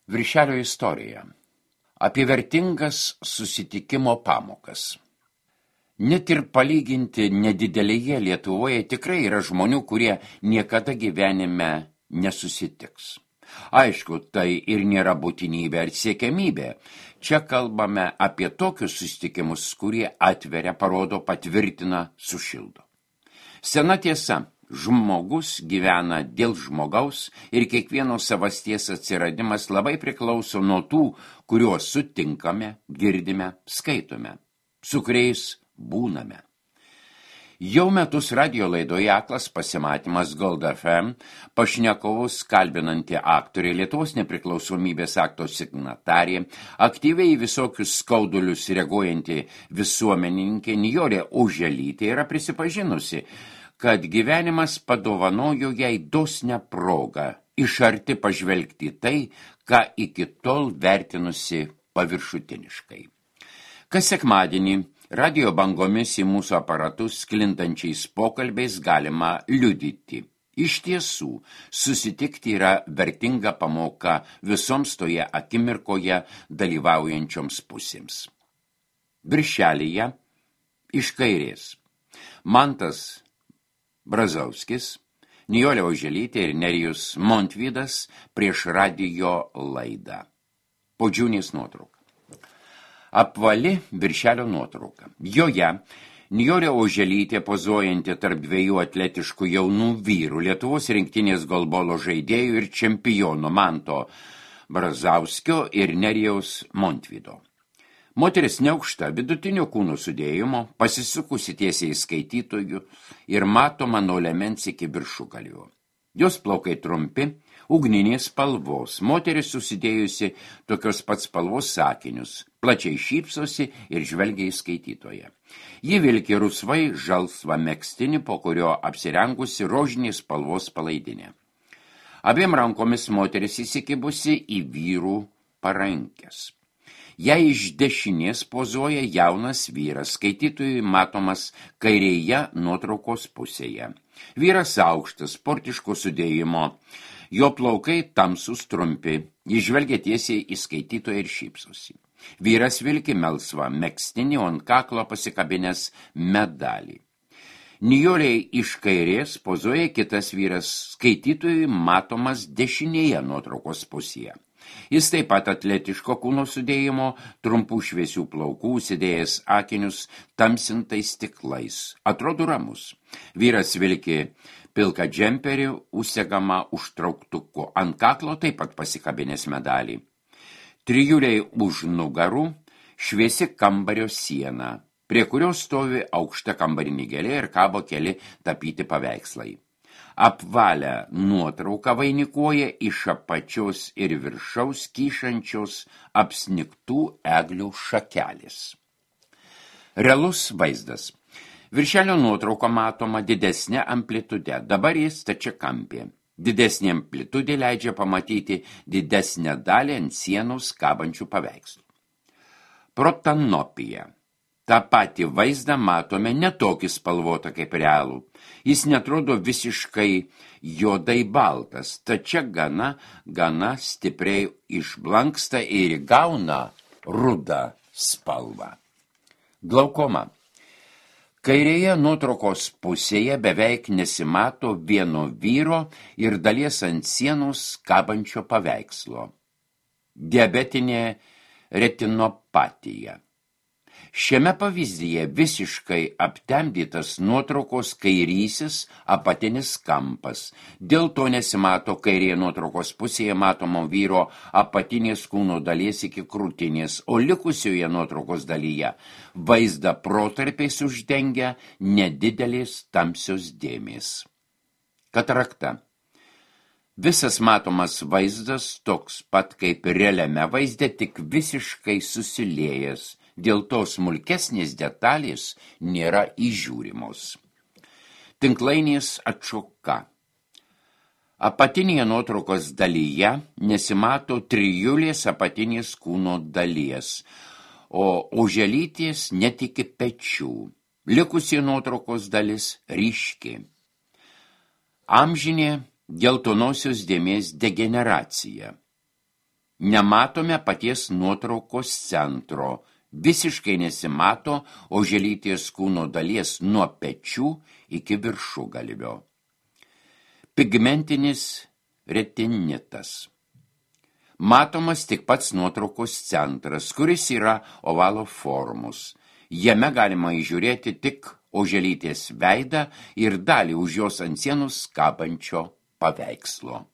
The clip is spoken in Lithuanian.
Viršelio istorija. Apie vertingas susitikimo pamokas. Net ir palyginti nedidelėje Lietuvoje tikrai yra žmonių, kurie niekada gyvenime nesusitiks. Aišku, tai ir nėra būtinybė ar siekiamybė. Čia kalbame apie tokius susitikimus, kurie atveria, parodo, patvirtina, sušildo. Sena tiesa. Žmogus gyvena dėl žmogaus ir kiekvieno savasties atsiradimas labai priklauso nuo tų, kuriuos sutinkame, girdime, skaitome, su kuriais būname. Jau metus radijo laidoje Aklas pasimatymas Gold FM pašnekovus kalbinanti aktorė, Lietuvos nepriklausomybės akto signatarė, aktyviai į visokius skaudulius reaguojanti visuomenininkė Nijolė Oželytė yra prisipažinusi, kad gyvenimas padovanojo jai dosnią progą iš arti pažvelgti tai, ką iki tol vertinusi paviršutiniškai. Kas sekmadienį radijo bangomis į mūsų aparatus sklindančiais pokalbiais galima liudyti. Iš tiesų, susitikti yra vertinga pamoka visoms toje akimirkoje dalyvaujančioms pusėms. Viršelyje iš kairės Mantas Brazauskis, Nijolė Oželytė ir Nerijus Montvydas prieš radijo laidą. Podžiūnės nuotrauka. Apvali viršelio nuotrauka. Joje Nijolė Oželytė pozuojanti tarp dviejų atletiškų jaunų vyrų, Lietuvos rinktinės golbolo žaidėjų ir čempionų Manto Brazauskio ir Nerijaus Montvydo. Moteris neaukšta, vidutinio kūno sudėjimo, pasisukusi tiesiai į skaitytojų ir matoma nuo liemens iki viršugalvio. Jos plaukai trumpi, ugninės spalvos, moteris susidėjusi tokios pats spalvos sakinius, plačiai šypsosi ir žvelgia į skaitytoją. Ji vilki rusvai žalsvą megztinį, po kurio apsirengusi rožinės spalvos palaidinę. Abiem rankomis moteris įsikibusi į vyrų parankes. Jei iš dešinės pozuoja jaunas vyras, skaitytojui matomas kairėje nuotraukos pusėje. Vyras aukštas, sportiško sudėjimo, jo plaukai tamsus trumpi, jis žvelgia tiesiai į skaitytoją ir šypsosi. Vyras vilki melsvą megztinį, ant kaklo pasikabinęs medalį. Nijolei iš kairės pozuoja kitas vyras, skaitytojui matomas dešinėje nuotraukos pusėje. Jis taip pat atletiško kūno sudėjimo, trumpų šviesių plaukų, užsidėjęs akinius tamsintais stiklais. Atrodo ramus. Vyras vilki pilką džemperį, užsegama užtrauktuku. Ant kaklo taip pat pasikabinęs medalį. Trijuliai už nugarų šviesi kambario siena, prie kurios stovi aukšta kambarinė gėlė ir kabo keli tapyti paveikslai. Apvalę nuotrauką vainikuoja iš apačios ir viršaus kyšančios apsnigtų eglių šakelės. Realus vaizdas. Viršelio nuotrauka matoma didesnė amplitude, dabar jis stačiakampė. Didesnė amplitudė leidžia pamatyti didesnę dalį ant sienos kabančių paveikslų. Protanopija. Ta pati vaizdą matome netokį spalvotą kaip realų. Jis netrodo visiškai juodai baltas, tačia gana stipriai išblanksta ir įgauna rudą spalvą. Glaukoma. Kairėje nuotraukos pusėje beveik nesimato vieno vyro ir dalies ant sienos kabančio paveikslo. Diabetinė retinopatija. Šiame pavyzdyje visiškai aptemdytas nuotraukos kairysis apatinis kampas. Dėl to nesimato kairėje nuotraukos pusėje matomo vyro apatinės kūno dalies iki krūtinės, o likusioje nuotraukos dalyje vaizdą protarpiais uždengia nedidelės tamsios dėmės. Katarakta. Visas matomas vaizdas toks pat kaip realiame vaizde, tik visiškai susiliejęs. Dėl to smulkesnės detalės nėra įžiūrimos. Tinklainės atšoka. Apatinėje nuotraukos dalyje nesimato trijulės apatinės kūno dalies, o Oželytės net iki pečių. Likusi nuotraukos dalis ryški. Amžinė geltonosios dėmės degeneracija. Nematome paties nuotraukos centro. Visiškai nesimato oželytės kūno dalies nuo pečių iki viršugalvio. Pigmentinis retinitas. Matomas tik pats nuotraukos centras, kuris yra ovalo formos. Jame galima įžiūrėti tik oželytės veidą ir dalį už jos ant sienos kabančio paveikslo.